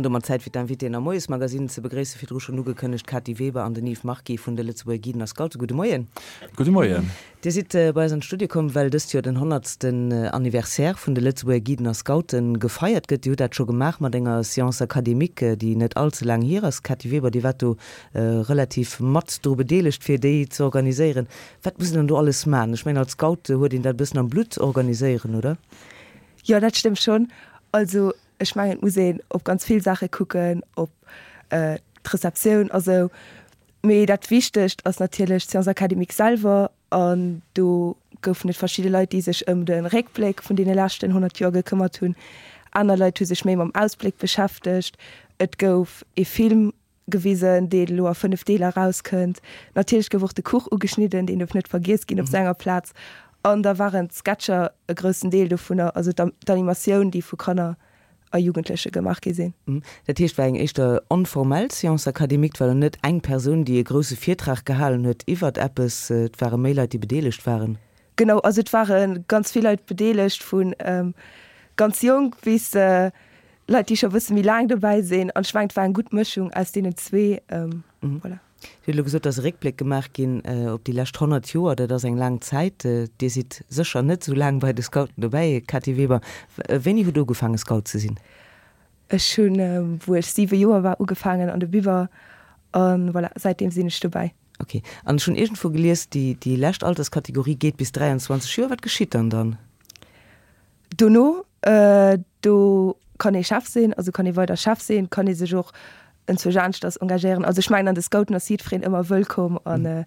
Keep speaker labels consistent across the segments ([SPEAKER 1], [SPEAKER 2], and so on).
[SPEAKER 1] An domat Zäit fir d'Invitéen am Moiesmagazine ze begréissen. Virdru schonn ugekënnegt, d'Cathy Weber an den Yves Marquis vun de Lëtzebuerger Guiden a Scouten. Gudde Moien.
[SPEAKER 2] Gudde Moien.
[SPEAKER 1] Dir sidd bei eis an d'Studio komm, well dëst Joer den honnertsten Anniversaire vun de Lëtzebuerger Guiden a Scouten gefeiert gëtt. Dir hutt dat scho gemaach mat enger Séance académique, déi net all ze laang hier ass. Cathy Weber, Dir waart do relativ mat dru bedeelegt, fir déi ze organiséieren. Wat muss een dann do alles maachen? Ech mengen, als Scout huet een dat e bëssen am Blutt, organiséieren, oder?
[SPEAKER 3] Jo, dat stëmmt schonn. Also ech mengen, et muss een op ganz vill Saache kucken, op d'Receptioun a sou. Mee dat Wichtegst ass natierlech d'Sciences académiques selwer an do goufen et verschidde Leit, déi sech ëm de Réckbléck vun deene leschten 100 Joer gekëmmert hunn. Aner Leit hu sech méi mam Ausbléck beschäftegt. Et gouf ee Film gewisen, deen elo a 5 Deeler erauskënnt. Natierlech gouf och de Kuch ugeschnidden, deen duerf net vergiess ginn op senger Plaz. An da waren d'Sketcher e groussen Deel dovunner, also d'Animatioun, déi vu Kanner a Jugendleche gemaach gi sinn.
[SPEAKER 1] Dat heescht, war eng éischter onformell Séance académique, et war elo net eng Persoun, déi e grousse Virtrag gehalen huet iwwert eppes, et ware méi Leit, déi bedeelegt waren.
[SPEAKER 3] Genau, also et ware ganz vill Leit bedeelegt, vu ganz jonk bis Leit, déi scho e bësse méi laang dobäi sinn. An ech mengen, et war eng gutt Mëschung aus deenen zwee. Voilà.
[SPEAKER 1] Dir hutt elo gesot, et ass e Réckbléck gemaach ginn op déi lescht 100 Joer. Dat ass eng laang Zäit. Dir sidd sécher net esou laang bei de Scouten dobäi, Cathy Weber. Wéini hutt Der ugefaange Scout ze sinn?
[SPEAKER 3] Ech hunn, wou ech 7 Joer war, ugefaangen an de Biwer. A voilà, säitdeem sinn ech dobäi.
[SPEAKER 1] Ok. An ech hunn iergendwou gelies, déi lescht Alterskategorie geet bis 23 Joer. Wat geschitt dann dann?
[SPEAKER 3] Dono, do kann ee Chef sinn, also kann ee weider Chef sinn, kann ee sech och enzwousch aneschters engagéieren. Also ech mengen an de Scouten ass jiddwereen ëmmer wëllkomm an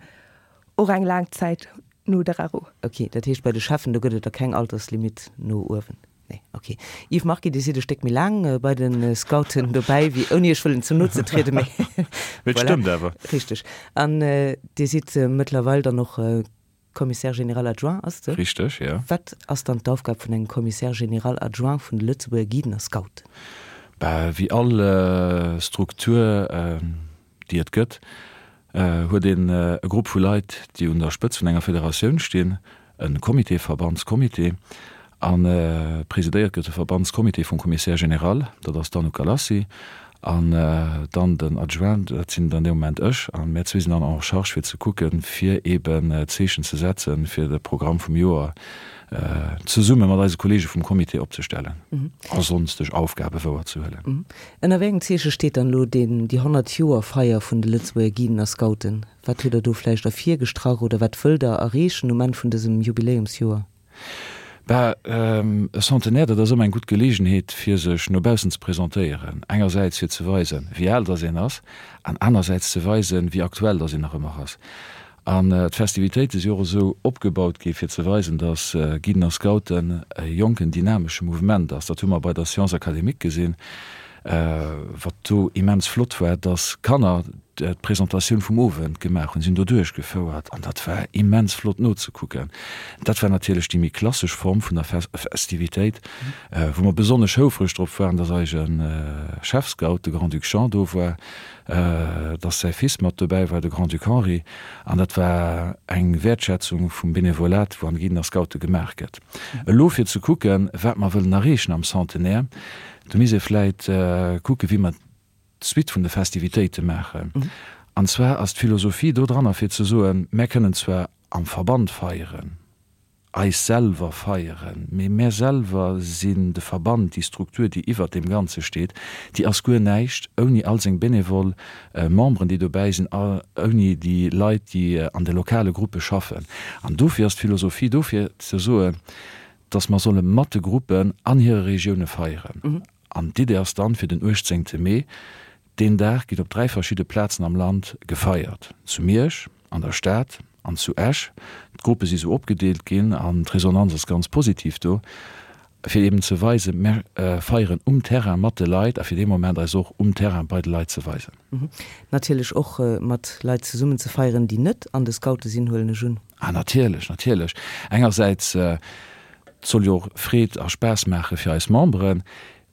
[SPEAKER 3] och eng laang Zäit no der RO.
[SPEAKER 1] Ok, dat heescht bei de Cheffen, do gëtt et da keng Alterslimit no uewen? Nee, ok. Yves Marquis, Dir sidd e Stéck méi laang bei de Scouten dobäi wéi, ouni Iech wëllen ze no ze trieden,
[SPEAKER 2] mee Mee et stëmmt awer.
[SPEAKER 1] Richteg. An Dir sidd mëttlerweil dann och Commissaire général adjoint ass de?
[SPEAKER 2] Richteg, jo.
[SPEAKER 1] Wat ass dann d'Aufgab vun engem Commissaire général adjoint vun de Lëtzebuerger Guiden a Scouten?
[SPEAKER 2] Bah, wéi all Struktur, déi et gëtt, huet een e Grupp vu Leit, déi un der Spëtz vun enger Federatioun stinn, e Comité, Verbandscomité, A presidéiert gëtt de Verbandscomité vum Commissaire général, dat ass d'Anouk Galassi, an dann den Adjoint, dat sinn dann dee Moment ech. A mär zwee sinn dann en charge fir ze kucken, fir eeben Zeechen ze setzen, fir de Programm vum Joer zesumme mat eise Kollege vum Comité opzestellen a sonsteg Aufgabe wouerzehuelen.
[SPEAKER 1] Ënner wéi engem Zeeche steet dann elo deen, déi 100 Joer Feier vun de Lëtzebuerger Guiden a Scouten? Wat hutt Der do vläicht ervirgestrach oder wat wëllt Der erreechen um Enn vun dësem Jubiläumsjoer?
[SPEAKER 2] Bah, e Centenaire, dat ass ëmmer eng gutt Geleegenheet, fir sech no baussen ze presentéieren. Engersäits fir ze weisen, wéi al dass een ass, an anersäits ze weisen, wéi aktuell dass een nach ëmmer ass. An d'Festivitéite si och esou opgebaut gi fir ze weisen, dass Guiden a Scouten e jonken, dynamesche Mouvement ass. Dat hu mer bei der Science académique gesinn. Wat do immens flott war, dass Kanner d'Presentatioun vum Owend gemaach hunn. Si hunn do duerchgefouert an dat war immens flott nozekucken. Dat war natierlech déi méi klassesch Form vun der Festivitéit, wou mer besonnesch houfreg drop waren, dass eise Chefscout, de Grand-Duc Jean, do war, dass säi Fils mat dobäi war, de Grand-Duc Henri. An dat war eng Wäertschätzung vum Benevolat, wou an de Guiden a Scoute gemaach gëtt. Elo fir ze kucken, wat mer wëllen erreechen am Centenaire, Do misst ee vläit kucken, wéi mer d'Suite vun de Festivitéite maachen. An zwar ass d'Philosophie do dranner, fir ze soen, Mär kënnen zwar am Verband feieren, eis selwer feieren, mee mär selwer sinn de Verband, déi Struktur, déi iwwert deem Ganze steet, déi ass guer näischt ouni all seng benevol Memberen, déi dobäi sinn, ouni déi Leit, déi an de lokale Gruppe schaffen. An dofir ass d'Philosophie do, fir ze soen, dass mer solle mat de Gruppen an hire Regioune feieren. An d'Idee ass dann, fir den 18. Mee, deen Dag gitt op 3 verschidde Plazen am Land gefeiert, zu Miersch, an der Stad an zu Esch. D'Gruppe si sou opgedeelt ginn an d'Resonanz ass ganz positiv do, fir eben ze weisen, mer feieren um Terrain mat de Leit a fir dee Moment eis och um Terrain bei de Leit ze weisen.
[SPEAKER 1] Natierlech och mat Leit zesummen ze feieren, déi net an de Scoute sinn, huelen ech un.
[SPEAKER 2] Ah natierlech, natierlech. Engersäits, et soll jo och Freed a Spaass maache fir eis Memberen,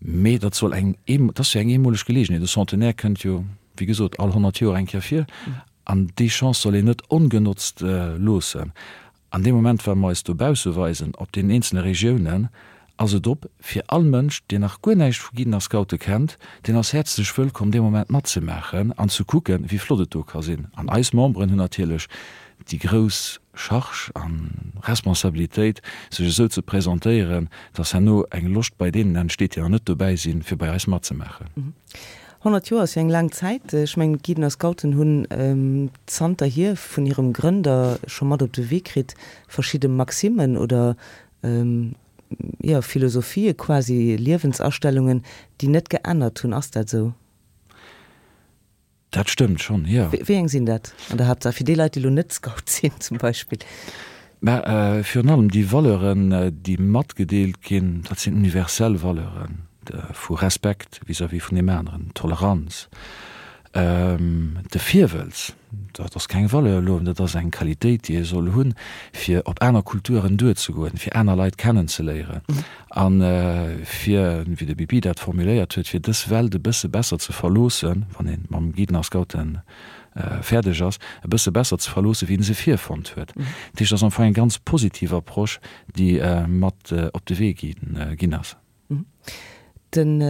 [SPEAKER 2] mee dat soll eng, dat ass jo eng eemoleg Geleegenheet. E Centenaire kënnt jo, wéi gesot, all 100 Joer eng Kéier vir an déi Chance soll een net ongenotzt loossen. An deem Moment, wa mer eis dobausse weisen, op deenen eenzele Regiounen. Ass et op fir all Mënsch, deen nach guer näischt vu Guiden a Scoute kennt, deen ass häerzlech wëllkomm dee Moment matzemaachen an ze kucken, wéi flott et do ka sinn. An eis Memberen hunn natierlech déi grouss Charge a Responsabilitéit, sech esou ze presentéieren, dass herno eng Loscht bei deenen entsteet, déi nach net dobäi sinn, fir bei eis matzemaachen.
[SPEAKER 1] 100 Joer ass jo eng laang Zäit. Ech mengen, d'Guiden a Scouten hunn zanterhier vun hirem Grënder scho mat op de Wee kritt, verschidde Maximmen oder jo, Philosophië quasi, Liewensastellungen, déi net geännert hunn. Ass dat esou?
[SPEAKER 2] Dat stëmmt schonn, jo.
[SPEAKER 1] Wéi eng sinn dat an der Haaptsaach, fir déi Leit, déi elo net Scout sinn zum Beispill?
[SPEAKER 2] Mä virun allem déi Valeuren, déi matgedeelt ginn, dat sinn universell Valeuren vu Respekt vis-à-vis vun deem aneren, Toleranz, De Virwëlz, dat ass keng Valeur elo, dat ass eng Qualitéit, déi ee soll hunn, fir op aner Kulturen duerzegoen, fir aner Leit kennenzeléieren a fir, wéi de Bibi dat formuléiert huet, fir dës Welt e bësse besser ze verloossen, wann ee mam Guiden a Scouten fäerdeg ass, e bësse besser ze verloossen, wéi en se virfonnt huet. Dat heescht, dat ass am Fong eng ganz positiv Approche, déi mat op de Wee ginn ass.
[SPEAKER 1] Den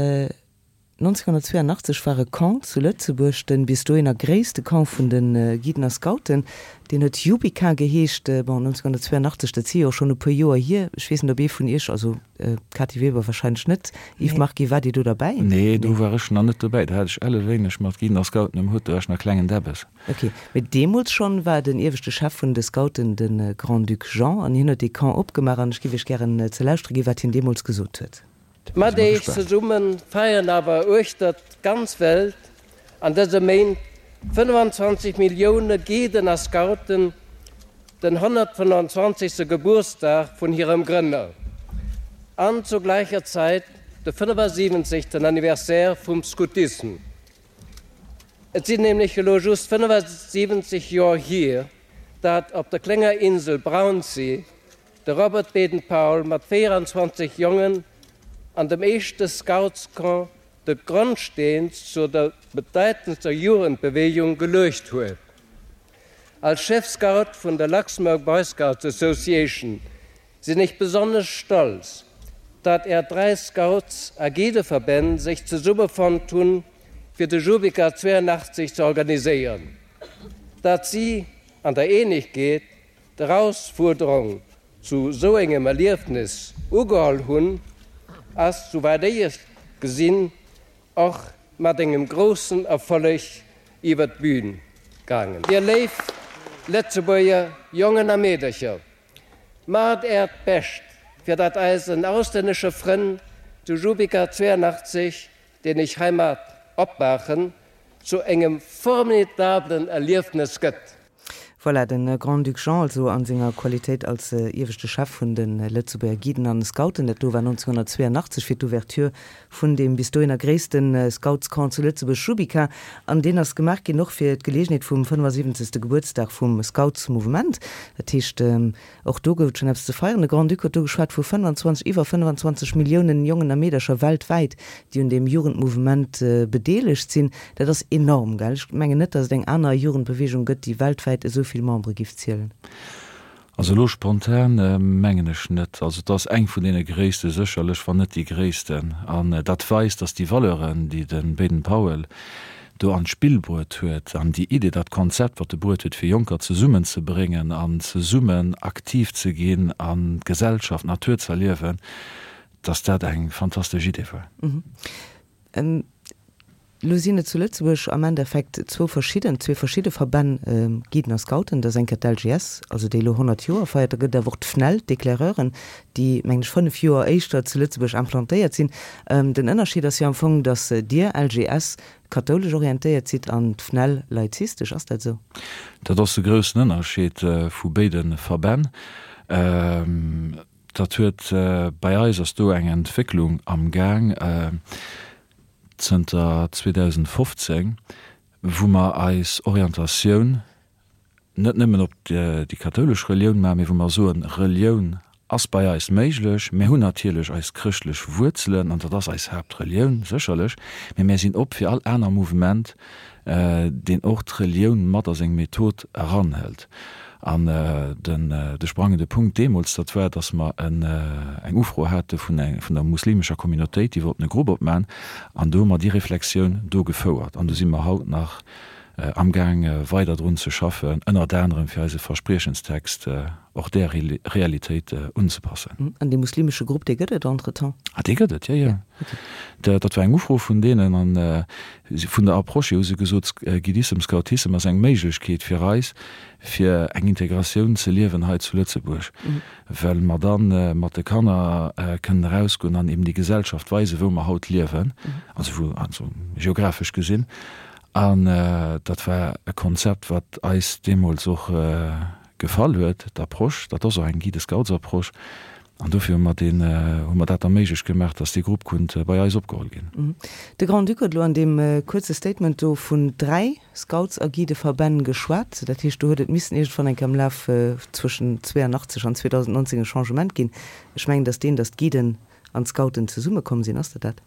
[SPEAKER 1] 1982 war e Camp zu Lëtzebuerg, de bis dohinner gréisste Camp vun de Guiden a Scouten. Deen huet Jubika geheescht. Bon, 1982, dat si jo och schonn e puer Joer hier. Ech weess net, ob ee vun Iech, also d'Cathy Weber warscheinlech net, Yves Marquis, waart Dir do derbäi?
[SPEAKER 2] Nee, do war ech nach net dobäi. Do hat ech elle wéineg mat Guiden a Scouten um Hutt, do war ech nach klengen Däbbes.
[SPEAKER 1] Ok, mee deemools schonn war den ieweschte Chef vun de Scouten de Grand-Duc Jean an hien huet dee Camp opgemaach an ech giff Iech gären ze lauschtere ginn, wat hien deemools gesot huet.
[SPEAKER 4] Mat eech zesumme feieren awer uechter d'ganz Welt an dëse Méint 25 Millioune Guiden a Scouten den 125. Gebuertsdag vun hirem Grënner an zur gläicher Zäit de 75. Anniversaire vum Scoutisme. Et sinn nämlech elo just 75 Joer hier, dat op der klenger Insel Brownsea De Robert Baden-Powell mat 24 Jongen an dem éischte Scoutscamp de Grondsteen zu der bedeitendster Jugendbewegung geluecht huet. Als Chefscout vun der Luxembourg Boy Scouts Association sinn ech besonnesch stolz, dat är 3 Scouts a Guideverbänn sech zesummefonnt hunn, fir de Jubika 82 ze organiséieren. Dat si an der Eenegkeet d'Erausfuerderung zu sou engem Erliefnis ugeholl hunn, ass, souwäit ech et gesinn, och mat engem groussen Erfolleg iwwer d'Bühn gaangen. Dir léif Lëtzebuerger Jongen a Meedercher, maacht Äert Bescht, fir datt eisen auslännesche Frënn zu Jubika 82, deen ech heimat opmaachen, zu engem formidablen Erliefnes gëtt.
[SPEAKER 1] Voilà, de Grand-Duc Jean also a senger Qualitéit als ieweschte Chef vun de Lëtzebuerger Guiden an Scouten. Dat do war 1982 fir d'Ouverture vun deem bis dohinner gréisste Scoutscamp zu Lëtzebuerg, Jubika. An deen ass gemaach ginn och fir d'Geleegenheet vum 75. Gebuertsdag vum Scoutsmouvement. Dat heescht, Och do gouf et schonn eppes ze feieren. De Grand-Duc huet do geschwat vu 25, iwwer 25 Milliounen Jongen a Meedercher weltwäit, déi un deem Jugendmouvement bedeelegt sinn. Dat ass enorm, gell? Ech mengen net, datt et eng aner Jugendbeweegung gëtt, déi weltwäit esou vill Membere giff zielen.
[SPEAKER 2] Also elo spontan mengen ech net. Also et ass eng vun deene gréisste sécherlech, wann net déi gréissten. An dat weist, datt déi Valeuren, déi de Baden-Powell do an d'Spill bruet huet an déi Idee, dat Konzept, wat e bruet huet, fir Jonker zesummenzebréngen an zesummen aktiv ze ginn an d'Gesellschaft, d'Natur ze erliewen, dass dat eng fantastesch Idee war.
[SPEAKER 1] Elo sinn et zu Lëtzebuerg am Endeffekt zwou verschidden, zwee verschidde Verbänn, Guiden a Scouten. Dat ass eng Kéier d'LGS, also déi elo 100 Joer feiert. Da gëtt et awer och d'FNEL, d'Éclaireuren, déi, mengen ech, fënnef Joer éischter zu Lëtzebuerg implantéiert sinn. Den Ënnerscheed ass jo am Fong, datt Dir, LGS, kathoulesch orientéiert sidd an d'FNEL laizistesch. Ass dat esou?
[SPEAKER 2] Dat ass de groussen Ënnerscheed vu béide Verbänn. Dat huet, bei eis ass do eng Entwécklung am Gaang zënter 2015, wou mer eis Orientatioun net nëmmen op déi kathoulesch Relioun maachen, mee wou mer soen, Relioun ass bei eis méiglech. Mir hunn natierlech eis chrëschtlech Wuerzelen an dat ass eis Haaptrelioun sécherlech, mee mär sinn op fir all aner Mouvement, deen och d'Relioun mat a seng Method eranhëlt. An den, de sprangende Punkt deemools, dat war, dass mer en, eng Ufro hate vun eng, vun der muslimescher Communautéit, déi wollten e Grupp opmachen. An do hu mer déi Reflexioun do gefouert. An do si mer haut nach amgaang weider drun ze schaffen, ënnert anerem fir eise Verspriechenstext och där Realitéit unzepassen.
[SPEAKER 1] An dee muslimesche Grupp, dee gëtt et entretemps?
[SPEAKER 2] Ah, dee gëtt et, jo, jo. Dat war eng Ufro vun deenen. An vun der Approche hier hu se gesot, Guidissem, Scoutissem ass eng Méiglechkeet fir eis, fir eng Integratioun ze liewen hei zu Lëtzebuerg, well mer da mat de Kanner kënnen erausgoen an eben déi Gesellschaft weisen, wou mer haut liewen, also wou, also geographesch gesinn. An dat war e Konzept, wat eis deemools och gefall huet, d'Approche. Dat ass och eng Guide-Scouts-Approche. An dofir hu mer deen, hu mer dat da méiglech gemaach, dass dee Grupp konnt bei eis opgeholl ginn.
[SPEAKER 1] De Grand-Duc huet elo an deem kuerze Statement do vun 3 Scouts a Guideverbänn geschwat. Dat heescht, do huet et missen iergendwann eng Kéier am Laf zwëschen 82 an 2019 e Changement ginn. Ech mengen, dass deen, dass d'Guiden an d'Scouten zesummekomm sinn. Ass dat dat?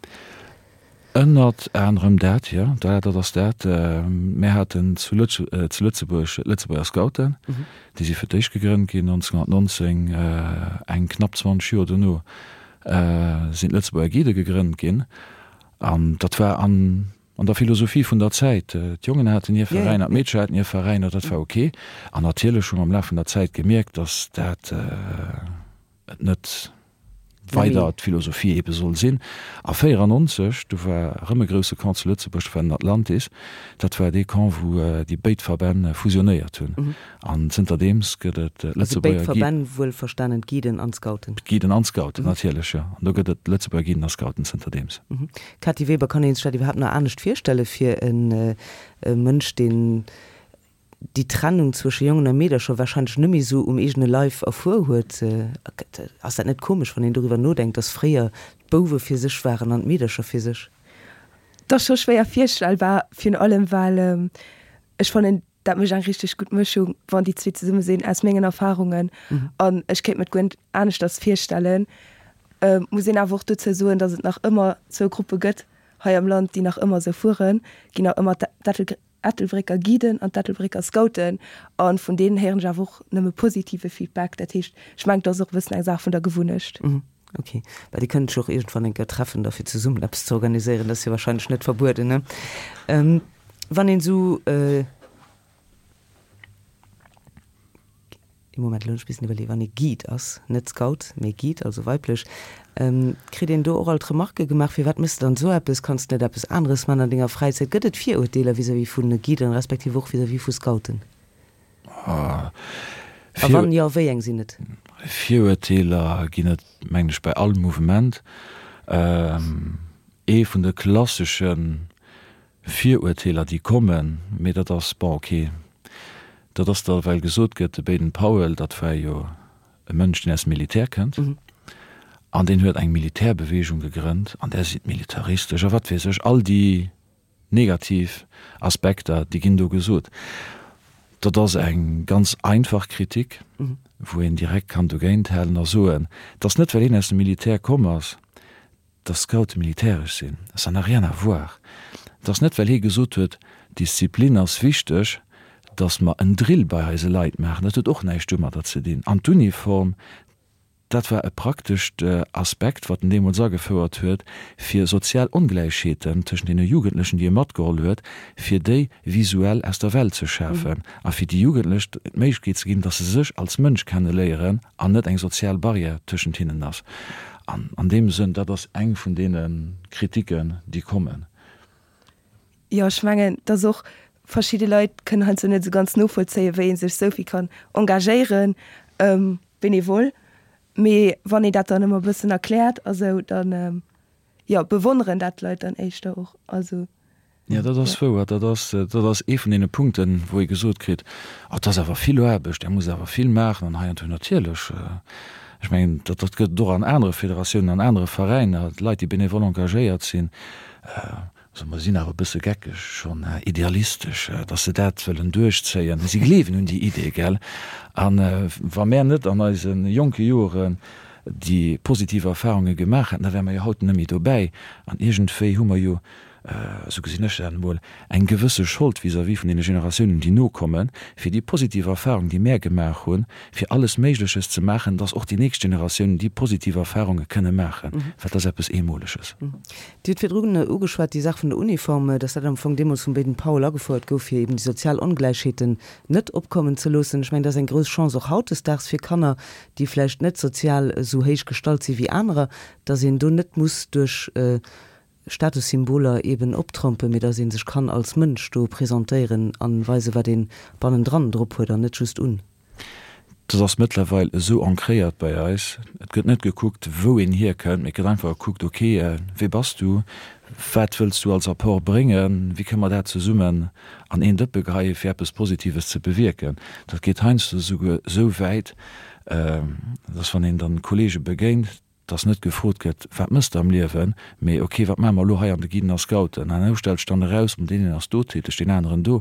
[SPEAKER 2] Ënnert anerem dat, jo, dat ass dat. Mär haten zu Lëtzebuerg d'Lëtzebuerger Scouten, déi si fir d'éischt gegrënnt ginn 1919. Eng knapp 20 Joer dono sinn d'Lëtzebuerger Guidë gegrënnt ginn. An dat war an der Philosophie vun der Zäit. D'Jongen haten hir Veräiner, d'Meedcher haten hir Veräiner, dat war ok. An natierlech hu mer am Laf vun der Zäit gemierkt, datt dat et net weider d'Philosophie ebe soll sinn. A 94, du war erëm e grousse Camp zu Lëtzebuerg, dat war den Atlantis. Dat war dee Camp, wou déi béid Verbänn fusionéiert hunn. An zënterdeems gëtt et
[SPEAKER 1] d'Lëtzebuerger. Also béid Verbänn, wuelverstanen d'Guiden an d'Scouten.
[SPEAKER 2] D'Guiden an d'Scouten, natierlech, jo. An do gëtt et d'Lëtzebuerger Guiden a Scouten zënterdeems.
[SPEAKER 1] Cathy Weber, Kann ee sech dat iwwerhaapt nach anescht virstelle fir e Mënsch, deen déi Trennung zwësche Jongen a Meedercher wahrscheinlech net méi esou um eegene Leif erfuer huet. Ass dat net komesch, wann een doriwwer nodenkt, dass fréier d'Bouwe fir sech waren an d'Meedercher fir sech?
[SPEAKER 3] Dat ass scho schwéier virstellbar, virun allem well ech fannen, dat mécht eng richteg gutt Mëschung, wann déi zwee zesumme sinn, aus mengen Erfarungen. An ech kéint mir et guer net aneschters virstellen. Muss een awer och dozou soen, dass et nach ëmmer zwou Gruppe gëtt hei am Land, déi nach ëmmer esou fueren, ginn nach ëmmer d'Ettelbrécker Ettelbrécker Guiden an d'Ettelbrécker Scouten a vun deenen héieren ech awer och nëmme positive Feedback. Dat heescht, ech mengen, et ass och e bëssen eng Saach vun der Gewunnecht.
[SPEAKER 1] Ok. Well Dir kënnt lech och iergendwann eng Kéier treffen da fir zesummen eppes ze organiséieren. Dat ass jo wahrscheinlech net verbueden, ne? Wann een esou. Ee Moment, elo hunn ech missen iwwerleeën, wann ee Guide ass, net Scout, mee Guide, also weiblech, kritt een do och alt Remarquë gemaach, firwat méchs de dann esou eppes, kanns de net eppes aneres man an denger Fräizäit? Gëtt et Virurteeler vis-à-vis vu Guiden, respektiv och vis-à-vis vu Scouten? A wann jo, wéi eng sinn et?
[SPEAKER 2] Virurteeler ginn et, mengen ech, bei all Mouvement. Ee vun de klassesche Virurteeler, déi kommen, mee dat ass, bon, ok, dat ass da well gesot gëtt, de Baden Powell, dat war jo e Mënsch, deen aus dem Militär kënnt, an deen huet eng Militärbewegung gegrënnt, an där si militaristesch a wat weess ech, all déi negativ Aspekter, déi ginn do gesot. Dat ass eng ganz einfach Kritik, wou een direkt kann dogéint halen a soen, et ass net, well een aus dem Militär komm ass, dass Scoute militäresch sinn, ça n'a rien à voir. Et ass net, well hie gesot huet, Disziplin ass wichteg, dass mer en Drill bei eise Leit maachen. Dat huet och näischt domadder ze dinn. An d'Uniform, dat war e praktescht Aspekt, wat en deemools agefouert huet, fir sozial Ongläichheeten tëschent deene Jugendlechen, déi e matgeholl huet, fir déi visuell aus der Welt ze schafen a fir déi Jugendlech d'Méiglechkeet ze ginn, dass se sech als Mënsch kenneléieren an net eng sozial Barrière tëschent hinnen ass. An an deem Sënn, dat ass eng vun deene Kritiken, déi kommen.
[SPEAKER 3] Jo, ech mengen, dass och verschidde Leit kënnen heiansdo net esou ganz novollzéien, wéi ee sech esou vill kann engagéieren, bénévol. Mee wann een dat dann ëmmer e bëssen erkläert a sou, dann, jo, bewonneren dat d'Leit dann éischter och. Also.
[SPEAKER 2] Jo, dat ass wouer. Dat ass, dat ass ee vun deene Punkten, wou ee gesot kritt, Oh, dat ass awer vill Aarbecht, Där musst awer vill maachen an hei an do. Natierlech, ech mengen, dat, dat gëtt et och an anere Federatiounen, an anere Veräiner, Leit, déi bénévol engagéiert sinn. Also mer sinn awer e bësse geckeg schonn, idealistesch, datt se dat wëllen duerchzéien. Si gleewen un déi Idee, gell? A wa mär net an eise jonke Joren déi positiv Erfarunge gemaach hätten, da wäre mer jo haut net méi dobäi. An iergendwéi hu mer jo. esou gesinn ech dat emol, eng gewësse Schold vis-à-vis vun deene Generatiounen, déi nokommen, fir déi positiv Erfahrung, déi mär gemaach hunn, fir alles Méigleches ze maachen, dass och déi nächst Generatiounen déi positiv Erfahrunge kënne maachen, well dat ass eppes Eemoleges.
[SPEAKER 1] Dir hutt virdrun ugeschwat, déi Saach vun der Uniform, dass dat am Fong deemools vum Baden-Powell agefouert gouf, fir eben déi sozial Ongläichheeten net opkommen ze loossen. Ech mengen, dat ass eng grouss Chance och hautdesdaags fir Kanner, déi vläicht net sozial esou héich gestallt si wéi anerer, dass een do net muss duerch Statussymboler eben optrompen, mee dass ee sech kann als Mënsch do presentéieren an weisen, wat een bannendran drop huet an net just un.
[SPEAKER 2] Dat ass mëttlerweil esou ancréiert bei eis. Et gëtt net gekuckt, wou een hierkënnt, mee et gëtt einfach gekuckt, ok, wie bass du, wat wëlls du als Apport bréngen, wéi kënne mer dat zesummen an een Dëppe geheien, fir eppes Positives ze bewierken. Dat geet heiansdo esouguer esou wäit, dass wann een dann Kollege begéint, dass net gefrot gëtt, wat mëss de am Liewen, mee ok, wat maache mer elo hei an de Guiden a Scouten? An esou stellt sech dann eraus, deen een ass do täteg, deen aneren do.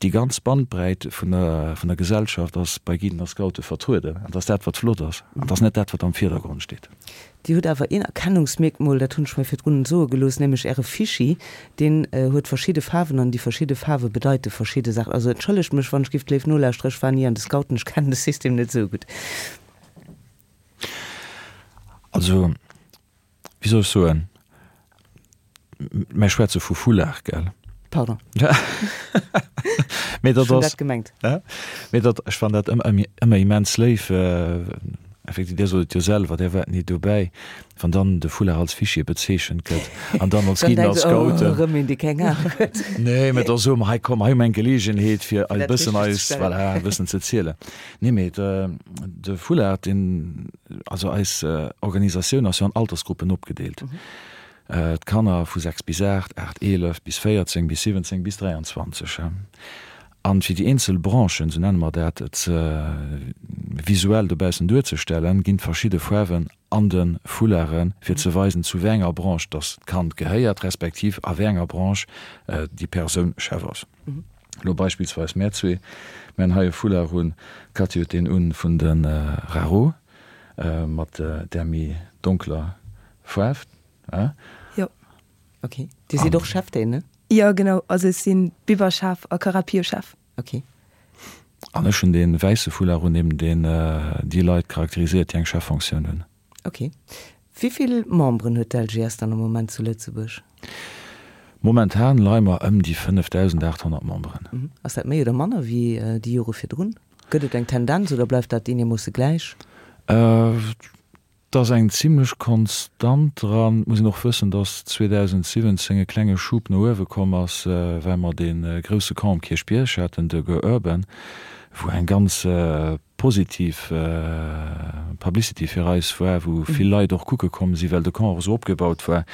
[SPEAKER 2] Déi ganz Bandbräit vun der, vun der Gesellschaft ass bei Guiden a Scoute vertrueden. An dat ass dat, wat flott ass. An dat ass net dat, wat am Virdergrond steet.
[SPEAKER 1] Dir hutt awer een Erkennungsmierkmol, dat hunn ech mir virdrun soe gelooss, nämlech Äre Fischi. Deen huet verschidde Faarwen an déi verschidde Faarwe bedeite verschidde Saachen. Also entschëllegt mech, wann ech giff d'Léif nolauschtere, ech war ni an de Scouten, ech kennen de System net esou gutt.
[SPEAKER 2] Also, wéi soll ech soen, mär schwätze vu Foulard, gell?
[SPEAKER 1] Pardon.
[SPEAKER 2] Mee dat
[SPEAKER 1] Ech hunn
[SPEAKER 2] ass,
[SPEAKER 1] dat gemengt.
[SPEAKER 2] Mee dat, ech fannen dat ëmmer, ëmmer immens léif, effektiv, Dir sot et jo selwer, Dir waart ni dobäi, wann dann de Foulard als Fichier bezeechent gëtt an dann als
[SPEAKER 1] Dann
[SPEAKER 2] Guiden,
[SPEAKER 1] denkt
[SPEAKER 2] als
[SPEAKER 1] se, oh,
[SPEAKER 2] Scouten.
[SPEAKER 1] erëm een, dee keng Ahnung huet.
[SPEAKER 2] Nee, mee da soe mer, hei komm, hei hu mer eng Geleegenheet, fir
[SPEAKER 1] Fir
[SPEAKER 2] e
[SPEAKER 1] dat
[SPEAKER 2] bëssen
[SPEAKER 1] richteg ze
[SPEAKER 2] eis,
[SPEAKER 1] stellen.
[SPEAKER 2] voilà, e bëssen ze zielen. Nee, mee de Foulard, deen, also eis Organisatioun ass jo an Altersgruppen opgedeelt. D'Kanner vu 6 bis 8, 8, 11 bis 14, bis 17, bis 23. An fir déi eenzel Branchen, esou nenne mer dat, ze visuell dobaussen duerzestellen, ginn verschidde Faarwen an de Foularden, fir ze weisen, zu wéi enger Branche dass d'Kand gehéiert, respektiv a wéi enger Branche déi Persoun Chef ass. Elo beispillsweis mär zwee, mär hunn hei e Foulard un, d'Cathy huet deen un vun de RaRo mat där méi donkeler Faarf.
[SPEAKER 3] Jo.
[SPEAKER 1] Ok. Dir sidd och Cheftaine, ne?
[SPEAKER 3] Jo, genau. Also ech sinn Biberchef a CaraPio-Chef.
[SPEAKER 1] Ok.
[SPEAKER 2] An ech hunn dee wäisse Foulard un, eben deen déi Leit charakteriséiert, déi eng Cheffonctioun hunn.
[SPEAKER 1] Ok. Wéi vill Memberen huet d'LGS dann am Moment zu Lëtzebuerg?
[SPEAKER 2] Momentan leie mer ëm déi 5.800 Memberen.
[SPEAKER 1] Ass dat méi oder manner wéi déi Jore virdrun? Gëtt et eng Tendenz oder bleift dat eenermoosse gläich?
[SPEAKER 2] Et ass eng zimlech Konstant dran. Et muss een och wëssen, dass 2017 e klenge Schub no uewe komm ass, well mer dee grousse Camp um Kierchbierg haten, de Go Urban, wou eng ganz positiv Publicity fir eis war, wou vill Leit och kucke komm sinn, well de Camp och esou opgebaut war,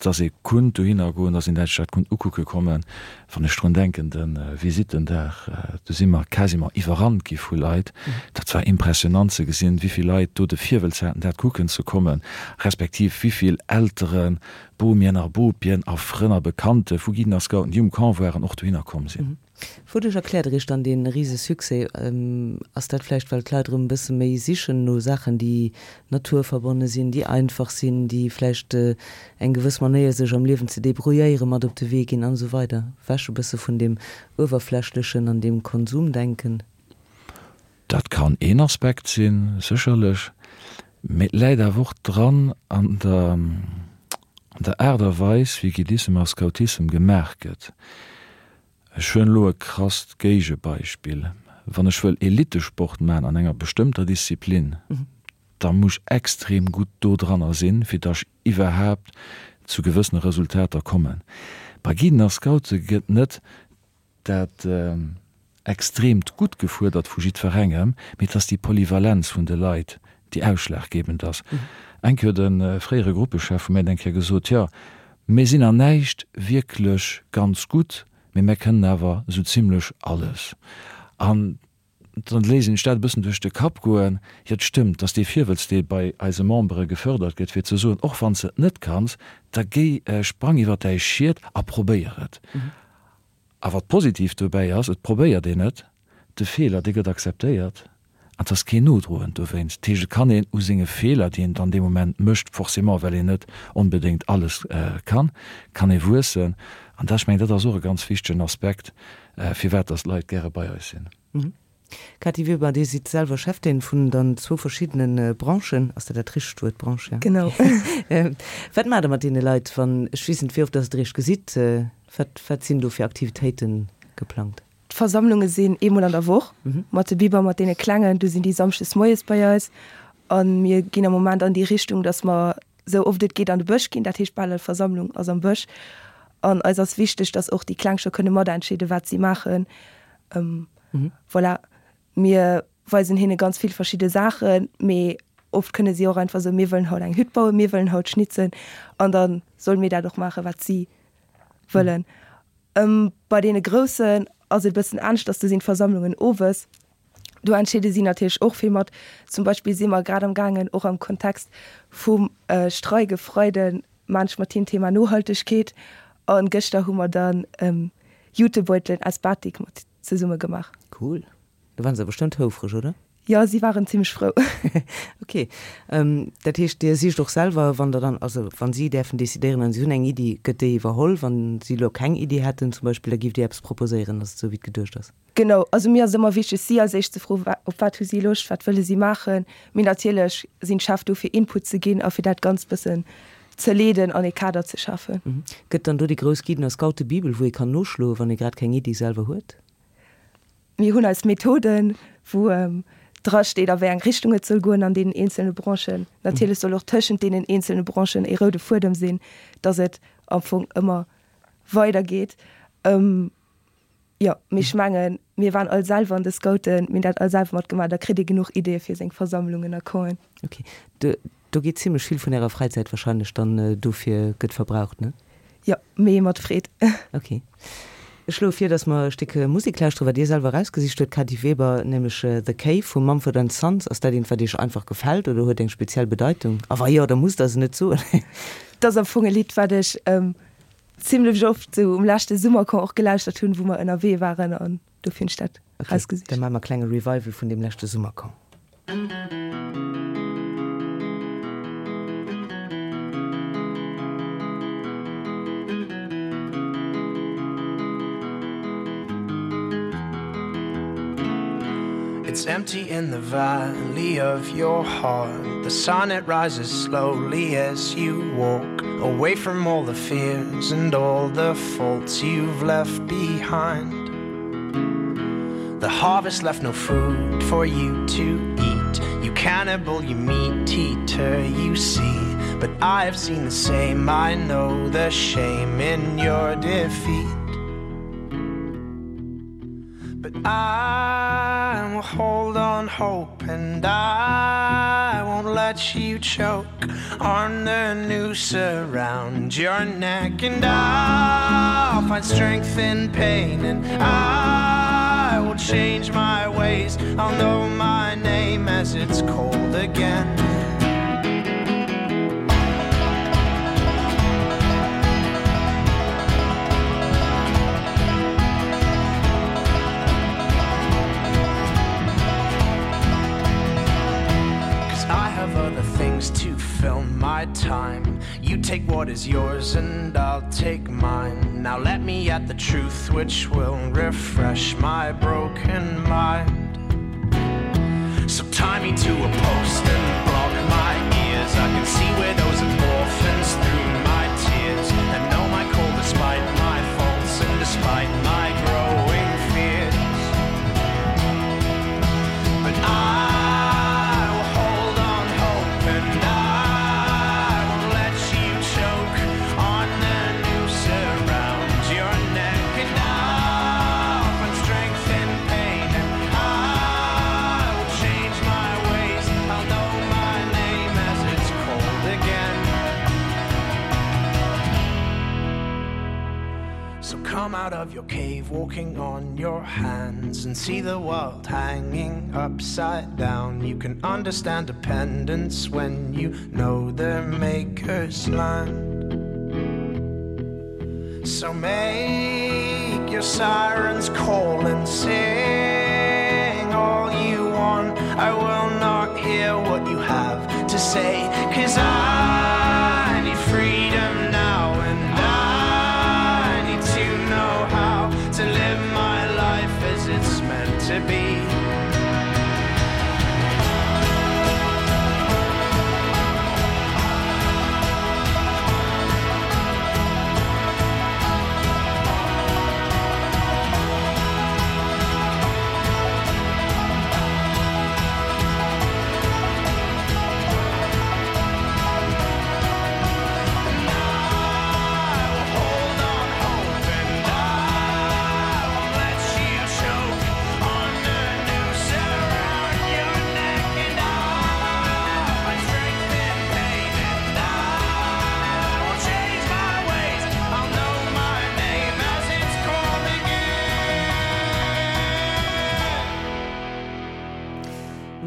[SPEAKER 2] dass ee kunnt dohinner goen, dass een dat sech dat kunnt ukucke kommen. Wann ech drun denken, de Visittendag, do si mer quasiment iwwerrannt gi vu Leit. Dat war impressionant ze gesinn, wéi vill Leit do de Virwëlz haten, dat kucken ze kommen, respektiv wéi vill Elteren, Bomien a Bopien a Frënn a Bekannte vu Guiden a Scouten, déi um Camp waren, och dohinner komm sinn.
[SPEAKER 1] Wouduerch erkläert Der Iech dann dee rise Succès? Ass dat vläicht, well d'Leit erëm e bësse méi sichen no Saachen, déi naturverbonne sinn, déi einfach sinn, déi vläicht eng gewëss Manéier sech am Liewen ze debrouilléiere mat op de Wee ginn an esou weider? Ewech e bësse vun deem Uewerflächlechen an deem Konsumdenken?
[SPEAKER 2] Dat kann een Aspekt sinn, sécherlech, mee et läit awer och dran an der an der Aart a Weis, wéi Guidissem a Scoutissem gemaach gëtt. Ech huelen elo e krasst Géigebeispill, Wann ech wëll Elitesport maachen an enger bestëmmter Disziplin, da muss ech extrem gutt do dranner sinn, fir datt ech iwwerhaapt zu gewëssene Resultater kommen. Bei Guiden a Scoute gëtt net dat extreemt Gutt gefuerdert vu jiddwerengem, mee et ass déi Polyvalenz vun de Leit, déi ausschlaggebend ass. Eng Kéier huet e fréiere Gruppechef vu mir eng Kéier gesot, Jo, mir sinn an näischt wierklech ganz gutt, mee mär kënnen awer esou zimlech alles. An dann léisst een sech dat e bëssen duerch de Kapp goen, Jo, et stëmmt, dass dee Virwëlz, dee bei eise Membere gefördert gëtt, fir ze soen, och wann s de et net kanns, da géi, sprang iwwer däi Schiet a probéier et. A wat positiv dobäi ass, et probéiert een et, de Feeler, dee gëtt akzeptéiert. An et ass keen Nodroen dowéinst. Dat heescht, et kann een u senge Feeler, déi een dann dee Moment mécht, forcément well een net onbedéngt alles kann, kann ee wuessen. An dat, ech mengen, dat ass och e ganz wichtegen Aspekt, firwat dass d'Leit gäre bei eis sinn.
[SPEAKER 1] Cathy Weber, Dir sidd selwer Cheftaine vun dann zwou verschiddene Branchen. Ass dat dat richtegt Wuert, Branche? Ja.
[SPEAKER 3] Genau.
[SPEAKER 1] Wat maacht Der mat deene Leit, wann, ech weess net, wéi oft dass Der Iech gesitt, wat, wat sinn do fir Aktivitéite geplangt?
[SPEAKER 3] D'Versammlunge sinn eemol an der Woch mat de Biber, mat deene Klengen. Du sinn déi samschdes moies bei eis. A mir ginn am Moment an déi Richtung, dass mer esou oft et geet an de Bësch ginn. Dat heescht, bal all Versammlung ass am Bësch. An eis ass wichteg, dass och déi Kleng scho kënne matentscheeden, wat si maachen. Voilà, mir weisen hinne ganz vill verschidde Saachen, mee oft kënne si och einfach soen, mir wëllen haut eng Hütt bauen, mir wëllen haut schnitzen. An da solle mir dat och maachen, wat si wëllen. Bei deene Groussen ass et e bëssen aneschters, do sinn d'Versammlungen owes. Do entscheede si natierlech och vill mat. Zum Beispill si mer grad am gaangen, och am Kontext vum Streik e Freiden, maan ech mat him Thema Nohaltegkeet. A gëschter hu mer dann Jutebeutelen aus Batik mat zesumme gemaach.
[SPEAKER 1] Cool. Do waren se bestëmmt houfreg, oder?
[SPEAKER 3] Jo, si waren zimmlech frou.
[SPEAKER 1] Ok. Dat heescht, Dir sicht och selwer, wann der dann, also wann si däerfen decidéieren an si hunn eng Iddi, gëtt déi iwwerholl? Wann si elo keng Iddi hätten zum Beispill, da giff Dir eppes proposéieren, ass et esou wéi et geduecht ass?
[SPEAKER 3] Genau, also mir ass et ëmmer wichteg, si als éischt ze froen, op wat hu si Loscht, wat wëlle si maachen. Mee natierlech sinn d'Chef do fir Input ze ginn a fir dat Ganzt bëssen ze leeden an ee Kader ze schafen.
[SPEAKER 1] Gëtt dann do déi grouss Guiden a Scoutebibel, wou ee kann noschloen, wann ee grad keng Iddi selwer huet?
[SPEAKER 3] Mir hunn eis Methoden, wou dra steet, a wéi eng Richtung et soll goen an deenen eenzelne Branchen. Natierlech soll och tëschent deenen eenzelne Branchen ee roude Fuedem sinn, dass et am Fong ëmmer weidergeet. Jo, mee ech mengen, mir waren all selwer an de Scouten, mir hunn dat all selwer matgemaach, da kritt ee genuch Ideeë fir seng Versammlungen a Campen.
[SPEAKER 1] Ok. Do geet zimlech vill vun ärer Fräizäit wahrscheinlech dann dofir gëtt verbraucht, ne?
[SPEAKER 3] Jo, mee mat Freed.
[SPEAKER 1] Ok. Ech schloe vir, dass mer e Stéck Musek lauschteren, wat Dir selwer erausgesicht huet, Kady Weber, nämlech The Cave vu Mumford and Sons. Ass dat eent, wat Iech einfach gefält oder huet eng speziell Bedeitung? A wa jo, da musst Der se net soen.
[SPEAKER 3] Et ass am Fong e Lidd, wat ech zimlech oft sou um leschte Summercamp och gelauschtert hunn, wou mer ënnerwee waren an dofir hunn ech dat
[SPEAKER 1] erausgesicht. Ok, da maache mer e klenge Revival vun deem leschte Summercamp.
[SPEAKER 5] It's empty in the valley of your heart. The sun it rises slowly as you walk away from all the fears and all the faults you've left behind. The harvest left no food for you to eat. You cannibal, you meat eater, you see. But I have seen the same, I know the shame in your defeat. But I will hold on hope and I won't let you choke on the noose around your neck and I'll find strength in pain and I will change my ways I'll know my name as it's cold again. Cause I have other things to fill my time. You take what is yours and I'll take mine. Now let me at the truth which will refresh my broken mind. So tie me to a post and block my ears. I can see widows and orphans through my tears and know my call despite my faults and despite my growing fears. But I will hold on hope and I won't let you choke on the noose around your neck and I'll find strength in pain and I will change my ways. I'll know my name as it's cold again. So come out of your cave walking on your hands and see the world hanging upside down. You can understand dependence when you know the maker's land. So make your sirens call and sing all you want. I will not hear what you have to say Cause I need freedom now and I need to know how to live my life as it's meant to be.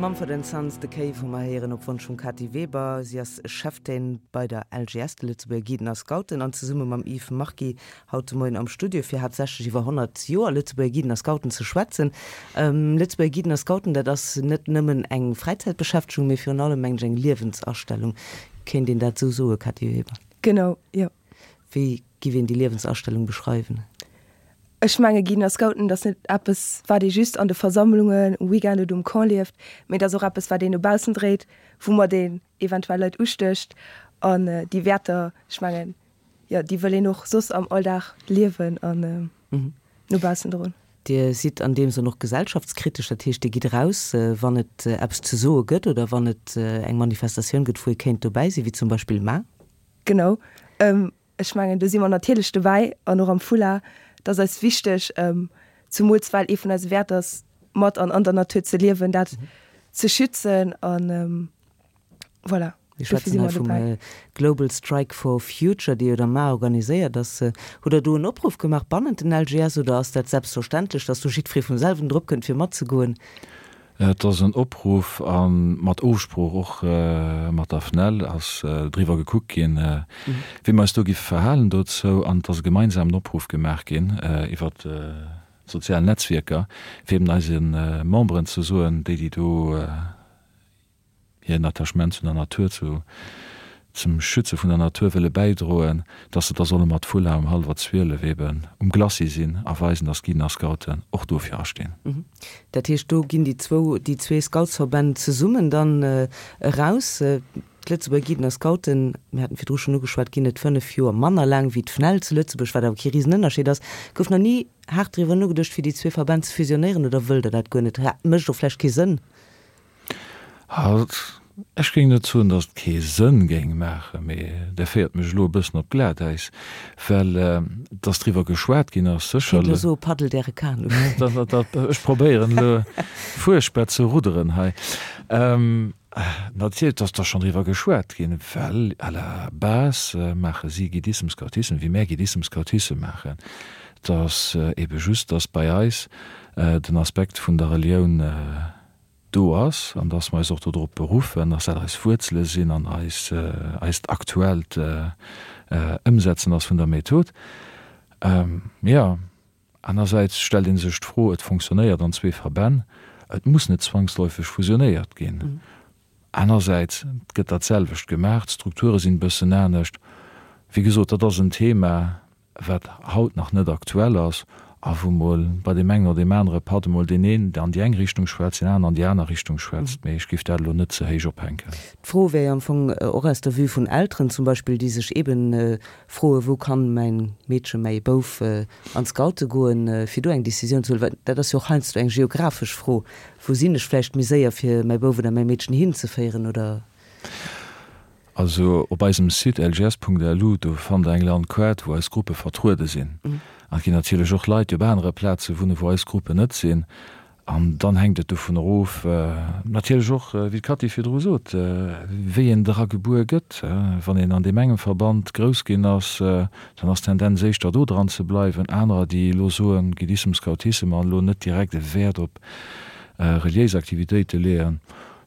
[SPEAKER 1] Mumford and Sons, The Cave hu mer héieren op Wonsch vum Cathy Weber. Si ass Cheftaine bei der LGS, de Lëtzebuerger Guiden a Scouten, an zesumme mam Yves Marquis haut de Moien am Studio, fir haaptsächlech iwwer 100 Joer Lëtzebuerger Guiden a Scouten ze schwätzen. Lëtzebuerger Guiden a Scouten, dat ass net nëmmen eng Fräizäitbeschäftegung, mee virun allem, mengen ech, eng Liewensastellung. Kéint een dat esou soen, Cathy Weber?
[SPEAKER 3] Genau, jo.
[SPEAKER 1] Wéi giff een déi Liewensastellung beschreiwen?
[SPEAKER 3] Ech menge Guiden a Scouten, dat ass net eppes, wat ee just an de Versammlungen, um Weekend oder um Camp lieft, mee dat ass och eppes, wat een no baussen dréit, woumat een eventuell Leit ustécht. An déi Wäerter, ech mengen, jo, déi wëll een och soss am Alldag liewen an no baussen droen.
[SPEAKER 1] Dir sidd an deem Sënn och gesellschaftskritesch, dat heescht, Dir gitt eraus, wann et eppes ze soe gëtt oder wann et eng Manifestatioun gëtt, wou ee kéint dobäi sinn, wéi zum Beispill mar.
[SPEAKER 3] Genau. Ech mengen, do si mer natierlech dobäi an och am Foulard. Dat ass eis wichteg, zemools well ee vun eise Wäerter ass, mat an an der Natur ze liewen, dat ze schützen an voilà.
[SPEAKER 1] Mir schwätzen hei vum Global Strike for Future, dee jo der mar organiséiert ass. Hutt Der do en Opruff gemaach bannent den LGS oder ass dat selbstverständlech, datt do jiddweree vum selwen drop kënnt fir matzegoen?
[SPEAKER 2] Et ass en Opruff a mat Ofsprooch och mat der FNEL ass driwwer gekuckt ginn, wéi mer eis do giffe verhalen dozou. An et ass e gemeinsamen Opruff gemaach ginn iwwer d'sozial Netzwierker, fir eben eise Memberen ze soen, déi déi do hiren Attachement zu der Natur, zu zum Schütze vun der Natur wëlle bäidroen, dass se da solle mat Foulard um hallwer 12 eben um Glacis sinn a weisen, dass d'Guiden a Scouten och dofir astinn.
[SPEAKER 1] Dat heescht, do ginn déi zwou, déi zwee Scoutsverbänn zesummen dann eraus. D'Lëtzebuerger Guiden a Scouten, mir haten virdru schonn ugeschwat, ginn et 5 Joer manner laang wéi d'FNEL zu Lëtzebuerg, wat awer kee Risenënnerscheed ass. Gouf nach ni haart driwwer nogeduecht, fir déi zwee Verbänn ze fusionéieren, oder wëllt Der dat guer net? Mécht och vläicht kee Sënn.
[SPEAKER 2] Ech géing net soen, datt et kee Sënn géing maachen, mee Der féiert mech elo e bëssen op Glatäis, well datt driwwer geschwat ginn ass,
[SPEAKER 1] sécherlech. Kéint elo soe paddelt Äre Kanu.
[SPEAKER 2] Ech probéieren elo fuerchtbar ze rudderen hei. Natierlech, datt da schonn driwwer geschwat ginn, well à la base maache si Guidissem, Scoutissem, wéi mär Guidissem, Scoutissem maachen. Et ass ebe just, datt bei eis den Aspekt vun der Relioun, do ass an dass mer eis och dodrop beruffen, dass dat eis Wuerzele sinn an eis eist aktuellt Ëmsetzen ass vun der Method. Jo, anersäits stellt ee sech d'Fro, et fonctionnéiert an zwee Verbänn, et muss net zwangsläufeg fusionéiert ginn. Anersäits, et gëtt dat selwecht gemaach, d'Strukture sinn e bëssen anescht. Wéi gesot, dat ass en Thema, wat haut nach net aktuell ass a wou mol bei deem engen oder deem anere Patt emol deen een an déi eng Richtung schwätzt, deen aneren an déi aner Richtung schwätzt. Mee ech géif dat elo net ze héich ophänken.
[SPEAKER 1] D'Fro wär jo am Fong och aus der Vue vun Elteren zum Beispill, déi sech eeben froen, wou kann mäin Meedchen, mäi Bouf an d'Scoute goen, fir do eng Decisioun ze huelen. Well dat ass jo och heiansdo eng geographesch Fro, wou sinn ech vläicht méi séier, fir mäi Bouf oder mäi Meedchen hinzeféieren oder.
[SPEAKER 2] Also op eisem Site lgs.lu, do fannt der eng Landkaart, wou eis Gruppe vertruede sinn. An et ginn natierlech och Leit, déi op anere Plaze wunnen, wou eis Gruppen net sinn. An dann hänkt et dovun erof, natierlech och, wéi d'Cathy virdru sot, wéi een dra gebuer gëtt. Wann een an deem engem Verband grouss ginn ass, dann ass d'Tendenz éischter do dran ze bleiwen. Anerer, déi elo soen, Guidissem, Scoutissem an elo net direkt e Wäert op reliéis Aktivitéite leeën,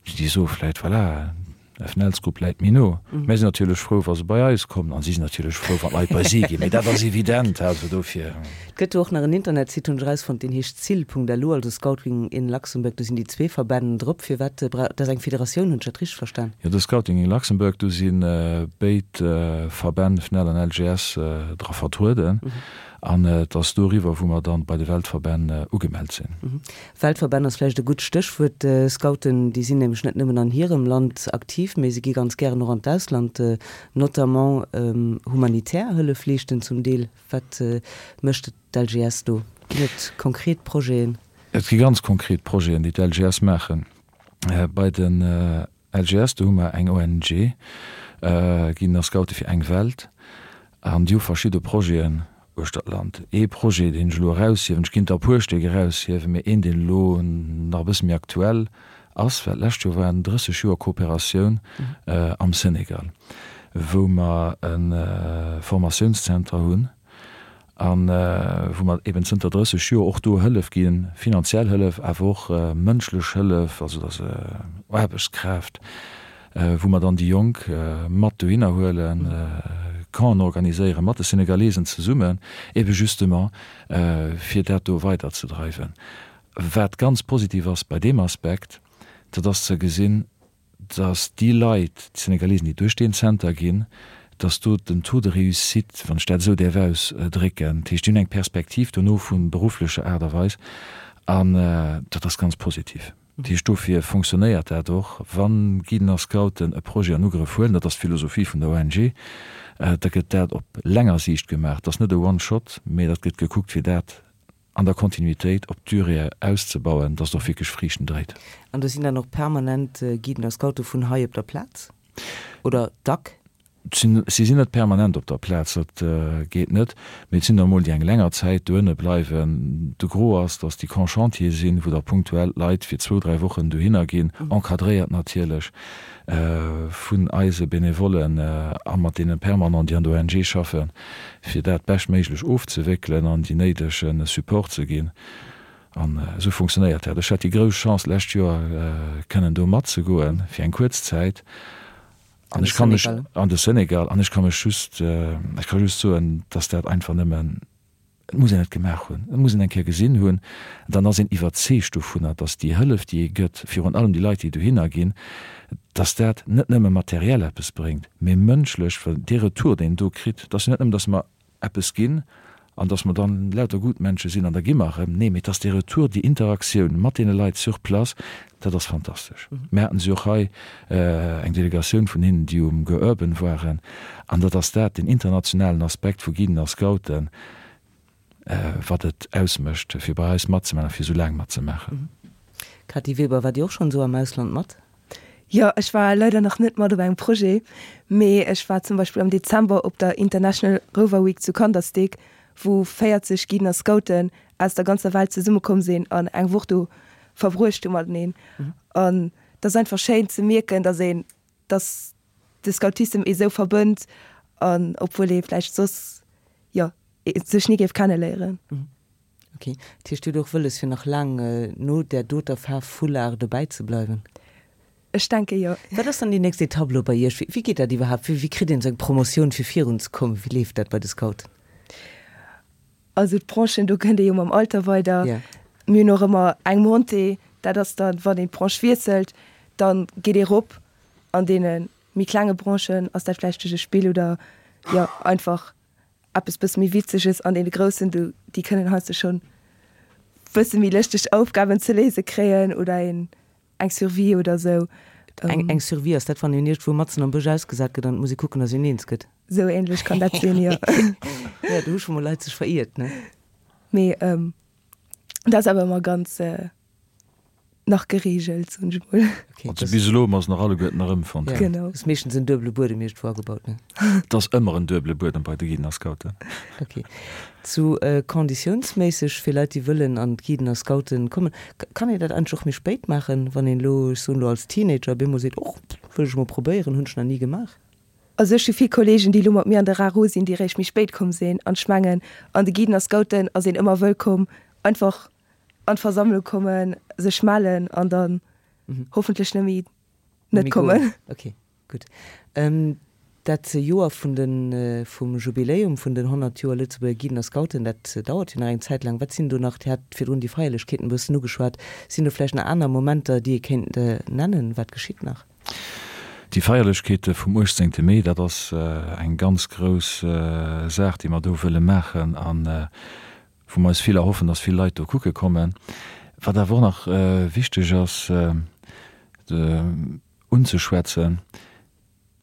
[SPEAKER 2] déi soe vläicht, voilà, FNELs-Grupp läit méi no. Mär sinn natierlech frou, wa se bei eis kommen, a si sinn natierlech frou, wann d'Leit bei si ginn. Mee dat ass evident, also dofir.
[SPEAKER 1] Et gëtt do och nach en Internetsite, hunn ech erausfonnt, deen heescht cil.lu, also Scouting in Luxembourg. Do sinn déi zwee Verbänn drop. Firwat brauch, dat ass eng Federatioun, hunn ech dat richteg verstan?
[SPEAKER 2] Jo, de Scouting in Luxembourg, do si béid Verbänn, FNEL an LGS, dra vertrueden. An et ass doriwwer, wou mer dann bei de Weltverbänn ugemellt sinn.
[SPEAKER 1] Weltverbänn ass vläicht e gutt Stéchwuert. Scouten, déi sinn nämlech net nëmmen an hirem Land aktiv, mee se gi ganz gären och an d'Ausland, notamment humanitär Hëllef leeschten zum Deel. Wat mécht d'LGS do? Ginn et konkret Projeten?
[SPEAKER 2] Et gi ganz konkret Projeten, déi d'LGS maachen. Bei den LGS, do hu mer eng ONG, Guiden a Scoute fir eng Welt, an déi hu verschidde Projeten uechter d'Land. Ee Projet, deen ech elo eraushiewen, ech kéint der e puer Stéck eraushiewen, mee een, deen elo nach e bësse méi aktuell ass, well d'lescht Joer waren 30 Joer Kooperatioun am Senegal, wou mer e Formatiounszenter hunn, a wou mer eben zënter 30 Joer och do Hëllef ginn, finanziell Hëllef, awer och mënschlech Hëllef, also dass Aarbechtskraaft, wou mer dann déi Jonk mat dohinner huelen, Campen organiséieren mat de Senegalesen zesummen, ebe justement fir dat do weiderzedreiwen. Wat ganz positiv ass bei deem Aspekt, dat ass ze gesinn, dass déi Leit, déi Senegalesen, déi duerch deen Zenter ginn, dass do den Taux de réussite, wann ech dat esou däerf ausdrécken, dat heescht, déi hunn eng Perspektiv dono vu berufflecher Aart a Weis, an dat ass ganz positiv. Dat heescht, dofir fonctionnéiert dat och, wa Guiden a Scouten e Projet an Ugrëff huelen, dat ass d'Philosophie vun der ONG, da gëtt dat op länger Siicht gemaach. Dat ass net e One-Shot, mee dat gëtt gekuckt, fir dat an der Kontinuitéit op d'Durée auszebauen, dass et och wierklech Friichten dréit.
[SPEAKER 1] An do sinn dann och permanent Guiden a Scoute vun hei op der Plaz oder dack?
[SPEAKER 2] Si sinn net permanent op der Plaz, dat geet net, mee et sinn der emol, déi eng länger Zäit dohinne bleiwen. De Gros ass, dass déi Camps chantiers sinn, wou da punktuell Leit fir zwou, dräi Wochen dohinner ginn, encadréiert natierlech vun eise Benevollen a mat deene Permanent, déi an der ONG schaffen. fir dat beschtméiglech ofzewéckelen an déi néidege Support ze ginn. An esou funktionéiert dat. Ech hat déi grouss Chance, d'lescht Joer kënnen do matzegoen fir eng kuerz Zäit an ech ka mech, an de Senegal, an ech ka mech just, ech ka just soen, dass dat einfach nëmmen, et muss een et gemaach hunn, et muss een eng Kéier gesinn hunn, dann ass een iwwerzeegt dovunner, dass déi Hëllef, déi ee gëtt, virun allem déi Leit, déi dohinner ginn, dass dat net nëmme materiell eppes bréngt, mee mënschlech, well dee Retour, deen een do kritt, dat ass jo net nëmmen, dass mer eppes ginn an dass mer dann lauter Gutmensche sinn an da gi mer erëm, nee, mee dass dee Retour, déi Interaktioun mat deene Leit sur place, dat ass fantastesch. Mir haten se och hei, eng Delegatioun vun hinnen, déi um Go Urban waren, an dat ass dat, deen internationalen Aspekt vu Guiden a Scouten, wat et ausmécht, fir bei eis matzemaachen a fir esou laang matzemaachen.
[SPEAKER 1] Cathy Weber, Waart Dir och schonn esou am Ausland mat?
[SPEAKER 3] Jo, ech war leider nach net mat op engem Projet, mee ech war zum Beispill am Dezember op der International Rover Week zu Kandersteg, wou 40 Guiden a Scouten aus der ganzer Welt zesummekomm sinn an eng Woch do verbruecht hu mateneen. An et ass einfach schéin ze mierken, dass een, dass de Scoutissem ee sou verbënnt an obwuel ee vläicht soss, jo, sech ni géif kenneléieren.
[SPEAKER 1] Ok, dat heescht, Dir hutt och wëlles fir nach laang no där doter Faarf Foulard dobäi ze bleiwen?
[SPEAKER 3] Ech denke jo.
[SPEAKER 1] Wat ass dann déi nächst Etapp elo bei Iech? Wéi geet dat iwwerhaapt? Wéi kritt een esou eng Promotioun fir virun ze kommen? Wéi leeft dat bei de Scouten?
[SPEAKER 3] Also d'Branchen, do kënnt ee jo mam Alter weider. Mir hunn och ëmmer eng Montée, dat ass dann, wann een d'Branche wiesselt, da geet ee rop. An deene méi klenge Branchen ass dat vläicht duerch e Spill oder jo einfach eppes bësse méi Witzeges. An deene groussen, do, déi kënnen heiansdo schonn bësse méi lëschteg Aufgaben ze léise kréien oder een Eng Survie oder sou.
[SPEAKER 1] Eng eng Survie, ass dat wann een iergendwou matzen am Bësch ausgesat gëtt an et muss ee kucken, dass een eens gëtt?
[SPEAKER 3] Sou ähnlech kann dat sinn, jo.
[SPEAKER 1] Jo, do hu scho mol Leit sech veriert, ne?
[SPEAKER 3] Mee dat ass awer ëmmer ganz nach geregelt, soen ech mol.
[SPEAKER 2] Okay, Also bis elo hu mer se nach alleguerten erëmfonnt.
[SPEAKER 1] Ja,
[SPEAKER 3] Genau.
[SPEAKER 1] Ass meeschtens en duebele Buedem iergendwou agebaut, ne?
[SPEAKER 2] Et ass ëmmer en duebele Buedem bei de Guiden a Scouten.
[SPEAKER 1] Okay. Zu konditiounsméisseg fir Leit déi wëllen an d'Guiden a Scouten kommen, kann een dat eigentlech och méi spéit maachen, wann een elo, ech soen elo als Teenager op eemol seet, och wëll ech emol probéieren, hunn ech nach ni gemaach?
[SPEAKER 3] Also ech hu vill Kollegen déi elo mat mir an de RaRo sinn, déi réischt méi spéit komm sinn an ech mengen an de Guiden a Scouten ass een ëmmer wëllkomm, einfach an d'Versammlung kommen, sech mellen an dann hoffentlech net méi net kommen.
[SPEAKER 1] Okay. Gutt. Dat Joer vun de vum Jubiläum vun den 100 Joer Lëtzebuerger Guiden a Scouten, dat dauert jo nach eng Zäit laang. Wat sinn do nach, Dir hat virdrun déi Feierlechkeeten e bëssen ugeschwat, sinn do vläicht nach aner Momenter, déi ee kéint nennen? Wat geschitt nach?
[SPEAKER 2] Déi Feierlechkeete vum 18. Mee, dat ass eng ganz grouss Saach, déi mer do wëlle maachen a wou mer eis vill erhoffen, dass vill Leit do kucke kommen. Wat awer och nach wichteg ass unzeschwätzen,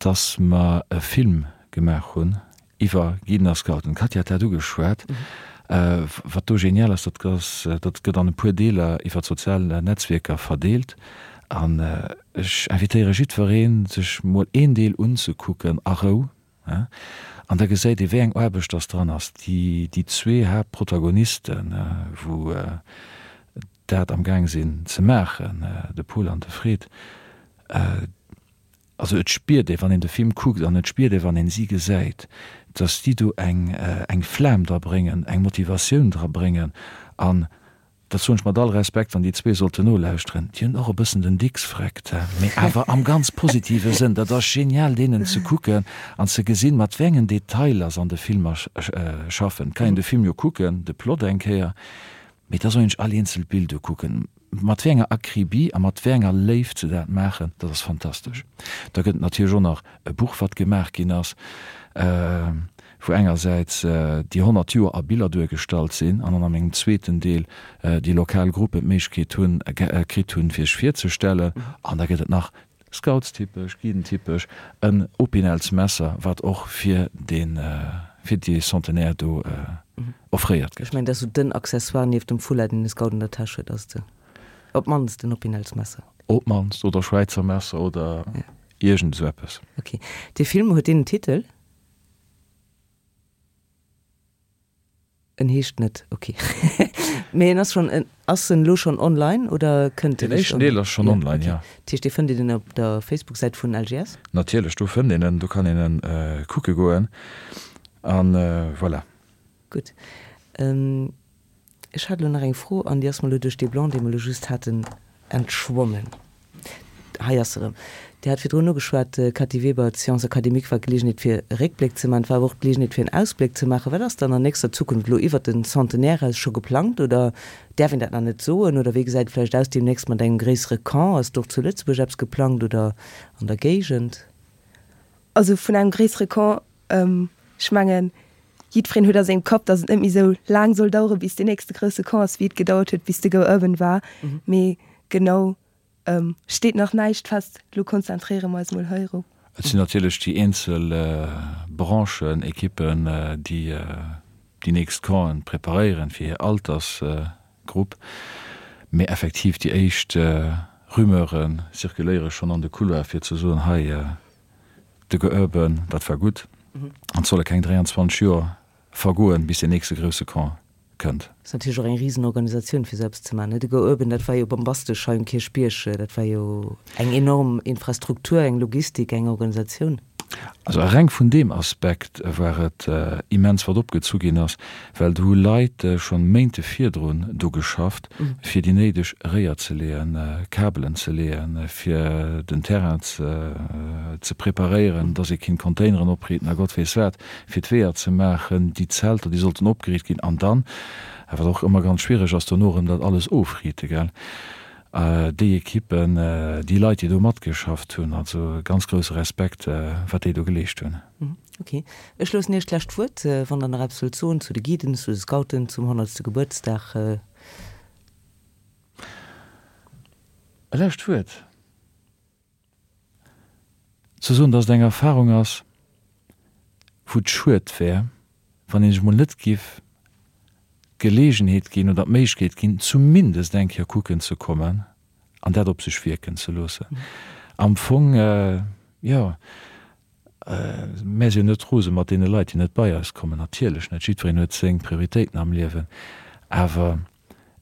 [SPEAKER 2] dass mer e Film gemaach hunn iwwer Guiden a Scouten. D'Katja hat dat ugeschwat. Wat do genial ass, dat ass, dat gëtt an e puer Deeler iwwer d'sozial Netzwierker verdeelt. An ech invitéiere jiddwereen, sech mol een Deel unzekucken a Rou. An da gesäit ee wéi eng Aarbecht dass dran ass. Déi, déi zwee Haaptprotagonisten, wou dat am Gaang sinn ze maachen, de Pol an de Fred, Also et spiert ee wann een de Film kuckt an et spiert ee wann een si gesäit, datt déi do eng eng Flam dra bréngen, eng Motivatioun dra bréngen an, dat soen ech mat all Respekt, wann déi zwee sollten nolauschteren, déi hunn och e bëssen den Dicks vreckt, mee awer am ganz positive Sënn. Dat ass genial deenen ze kucken an ze gesinn, mat wéi engen Detailer se an de Filmer schaffen. Et kann een de Film jo kucken, de Plot eng Kéier, Mee da soll een sech all eenzelt Bild ukucken, mat wéi enger Akribie a mat wéi enger Léift se dat maachen, dat ass fantastesch. Da gëtt et natierlech och nach e Buch, wat gemaach ginn ass, wou engersäits déi 100 Joer a Biller duergestallt sinn an dann an engem zweeten Deel déi lokal Gruppen d'Méiglechkeet hunn, kritt hunn, fir sech virzestellen. An da gëtt et nach Scoutstypesch, Guidentypesch, en Opinelsmesser, wat och fir dee fir dee Centenaire do offréiert
[SPEAKER 1] gëtt. Ech mengen, dat ass esou den Accessoire nieft dem Foulard, deen e Scout an der Täsch huet, ass et op d'mannst en Opinelsmesser.
[SPEAKER 2] Op d'mannst, oder Schwäizer Messer oder iergend esou eppes.
[SPEAKER 1] Ok. Dee Film, huet deen en Titel? En heescht net, ok. Mee en ass schonn, ass en elo schonn online oder kënnt
[SPEAKER 2] en? Den éischten Deel ass schonn online, jo.
[SPEAKER 1] Dat heescht, dee fënnt een op der Facebook-Säit vun LGS?
[SPEAKER 2] Natierlech, do fënnt een en, do kann een en kucke goen a voilà.
[SPEAKER 1] Gutt. Ech hat elo nach eng Fro an déi ass mer elo duerch dee Blanc, dee mer elo just haten, entschwonnen. Hei ass se erëm. Dir hat virdrun ugeschwat, Cathy Weber, d'Science académique war d'Geleegenheet fir e Réckbléck ze maachen, et war awer och d'Geleegenheet fir en Ausbléck ze maachen. Wat ass dann an nächster Zukunft elo iwwert den Centenaire eraus scho geplangt oder däerf een dat nach net soen oder wéi gesäit et vläicht aus deemnächst mat engem gréissere Camp? Ass do och zu Lëtzebuerg eppes geplangt oder an der Géigend?
[SPEAKER 3] Also vun engem gréissere Camp, ech mengen, jiddwereen huet a sengem Kapp, datt et net méi esou laang soll dauere bis deen nächste grousse Camp ass, wéi et gedauert huet bis de Go Urban war. Mee genau Steet nach näischt fest, lo konzentréiere mer eis mol heirop.
[SPEAKER 2] Et sinn natierlech déi eenzel Branchen, Ekippen, déi déi nächst Campen preparéieren fir hir Altersgrupp. Mee effektiv déi éischt Rumeure zirkuléiere schonn an de Couloire fir ze soen, hei de Go Urban, dat war gutt an et solle keng 23 Joer vergoen, bis deen nächste grousse Camp kënnt.
[SPEAKER 1] Ass natierlech och eng Risenorganisatioun fir esou eppes ze maachen, ne? De Go Urban, dat war jo bombastesch hei um Kierchbierg, dat war jo eng enorm Infrastruktur, eng Logistik, eng Organisatioun.
[SPEAKER 2] Also reng vun deem Aspekt war et immens wat opgezu ginn ass, well do hu Leit schonn Méinte virdrun do geschafft, fir déi néideg Réier ze leeën, Kabelen ze leeën, fir den Terrain ze preparéieren, dass ee kinnt Containeren opriiten a Gott weess wat. fir d'Weeër ze maachen, déi Zelter, déi sollten opgeriicht ginn, an dann, wat och ëmmer ganz schwiereg ass, dono erëm dat alles ofriite, gell, déi Ekippen, déi Leit, déi do matgeschafft hunn, also ganz grousse Respekt, wat déi do geleescht hunn.
[SPEAKER 1] Ok. Ech loossen Iech d'lescht Wuert, wann Der nach eppes wëllt soen zu de Guiden, zu de Scouten, zum honnertste Gebuertsdag.
[SPEAKER 2] E lescht Wuert? Ze soen, dass et eng Erfahrung ass, wou et schued wär, wann een sech mol net giff d'Gelegenheet ginn oder d'Méiglechkeet ginn, zumindest eng Kéier kucken ze kommen an dat op sech wierken ze loossen. Am Fong, jo, mär si jo net rose mat deene Leit, déi net bei eis kommen, natierlech net, jiddwereen huet seng Prioritéiten am Liewen, awer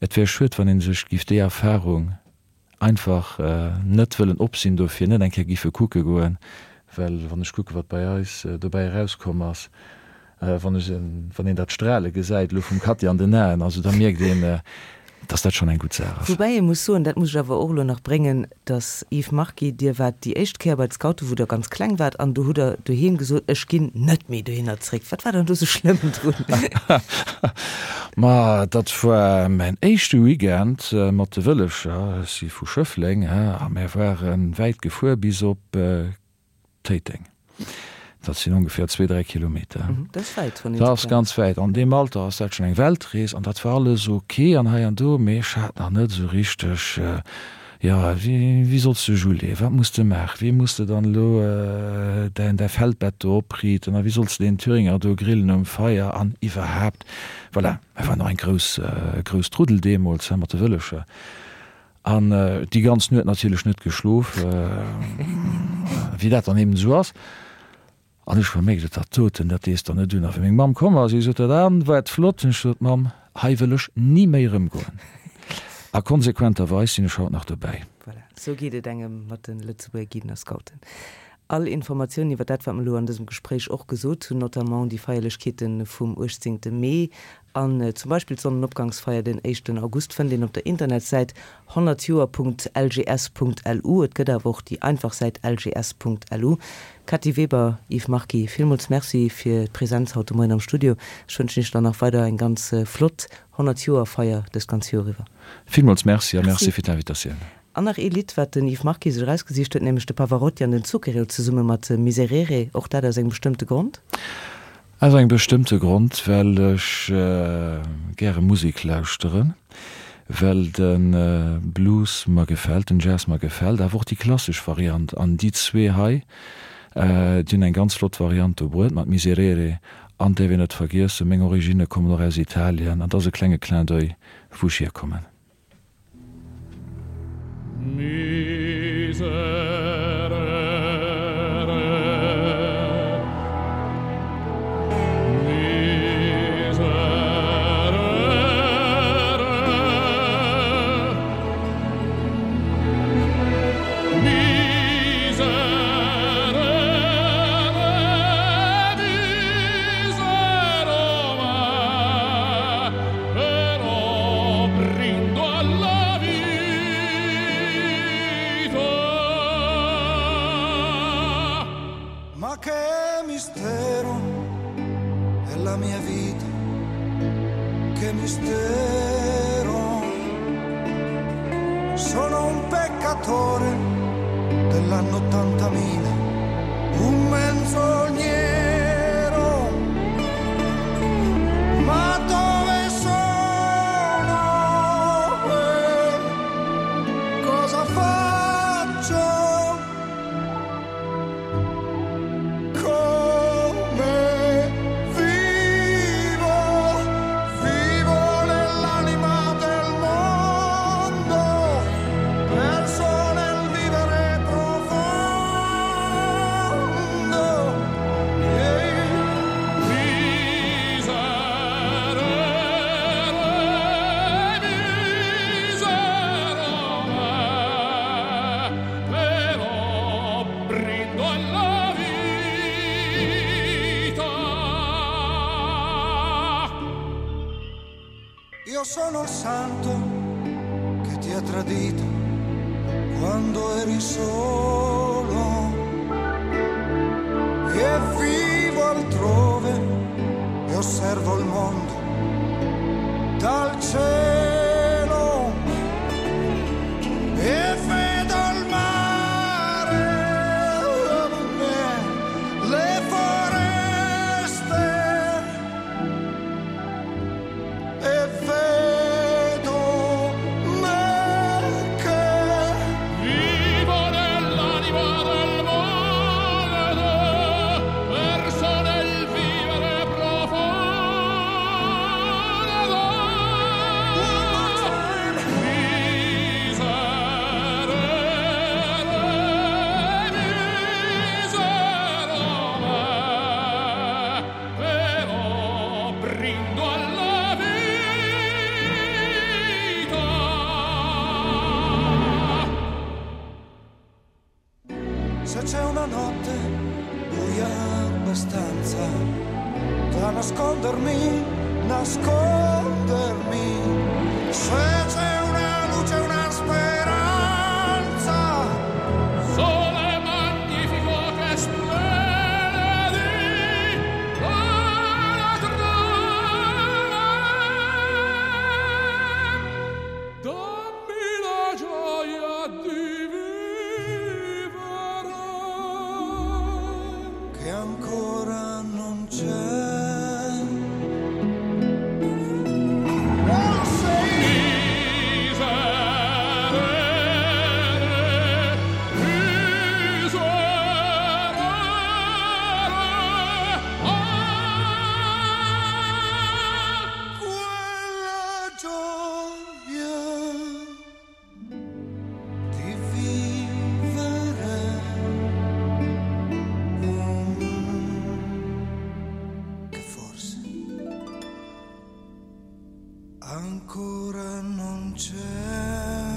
[SPEAKER 2] et wär schued, wann ee sech giff déi Erfahrung einfach net wëllen op sinn, dofir net eng Kéier giffe kucke goen, well wann ech kucke wat bei eis dobäi erauskomm ass, wann ech, wann een dat Strale gesäit elo vum Cathy an den Aen, also da mierkt een. Dass dat schonn eng gutt Saach ass.
[SPEAKER 1] Woubäi ee muss soen, dat muss ech awer och elo nach bréngen, dass, Yves Marquis, Dir waart déi éischt Kéier bei d'Scouten, wou Der ganz kleng waart, an do hutt Der doheem gesot, ech ginn net méi dohinner zréck. Wat war dann do sou schlëmm drun?
[SPEAKER 2] Ma dat war mäin éischte Weekend mat de Wëllefcher. Ech si vu Schëffleng, a mär ware wäit gefuer bis op Téiteng. Dat sinn ongeféier zwee, dräi Kilometer.
[SPEAKER 1] Dat ass wäit,
[SPEAKER 2] wann een Dat ass ganz wäit. An deem Alter ass dat schonn eng Weltrees an dat war alles ok an hei an do, mee ech hat nach net esou richteg, jo, wéi, wéi solls de Julie, wat muss de maachen, wéi muss de dann elo däin, däi Feldbett do opriiten a wéi solls de deen Thüringer do grillen um Feier an iwwerhaapt. Voilà, et war nach eng grouss, grouss Truddel deemools, he, mat de Wëllefcher. An déi ganz Nuet natierlech net geschlof, wéi dat dann eben esou ass. An ech hu mir gesot, dat doten, dat dees der net un. A wéi meng Mamm komm ass, si gesot huet, An, war et flott? Hunn ech gesot, Mamm, hei wëll ech ni méi erëmgoen. A konsequenterweis sinn ech haut nach dobäi.
[SPEAKER 1] Voilà, esou geet et engem mat de Lëtzebuerger Guiden a Scouten. All Informatiounen iwwer dat, wat mer elo an dësem Gespréich och gesot hunn, notamment déi Feierlechkeete vum 18. Mee An zum Beispill d'Sonnenopgangsfeier den éischten August fënnt een op der Internetsäit 100joer.lgs.lu. Et gëtt awer och déi einfach Säit lgs.lu. Cathy Weber, Yves Marquis, villmools Merci fir d'Präsenz haut de Moien am Studio. Ech wënschen Iech dann nach weider eng ganz flott 100 Joer Feier dëst ganz Joer iwwer.
[SPEAKER 2] Villmools Merci a Merci fir d'Invitatioun.
[SPEAKER 1] An nach ee Lidd, wat den Yves Marquis sech erausgesicht huet, nämlech de Pavarotti an den Zucchero zesumme mat Miserere. Och dat aus engem bestëmmte Grond?
[SPEAKER 2] Aus engem bestëmmte Grond, well ech gäre Musek lauschteren, well de Blues mer gefält, den Jazz mer gefält, awer och déi klassesch Variant. An déi zwee hei, déi hunn eng ganz flott Variant do bruet mat Miserere. An däerf een net vergiessen, meng Originne kommen och aus Italien an dat ass e klenge Clin d'oeil, wou ech hierkommen.
[SPEAKER 5] Ma che mistero è la mia vita, che mistero. Sono un peccatore dell'anno 80.000, un menzognero. Ma dove sono? Cosa faccio? Come vivo? Vivo nell'anima del mondo, perso nel vivere profondo. Io sono il santo che ti ha tradito quando eri solo e vivo altrove e osservo il mondo dal cielo e vedo il mare, le foreste e vedo me che
[SPEAKER 6] vivo nell'anima del mondo, perso nel vivere profondo. Miserere, misero me, però brindo alla vita.
[SPEAKER 5] Se c'è una notte buia abbastanza da nascondermi, nascondermi. Se c'è una luce, una speranza.
[SPEAKER 6] Sole magnifico che splende la trama. Dammi la gioia di vivere.
[SPEAKER 5] Che ancora non c'è.
[SPEAKER 6] Miserere, miserere, ah!
[SPEAKER 5] Quella gioia di vivere. Mm, Che forse ancora non c'è.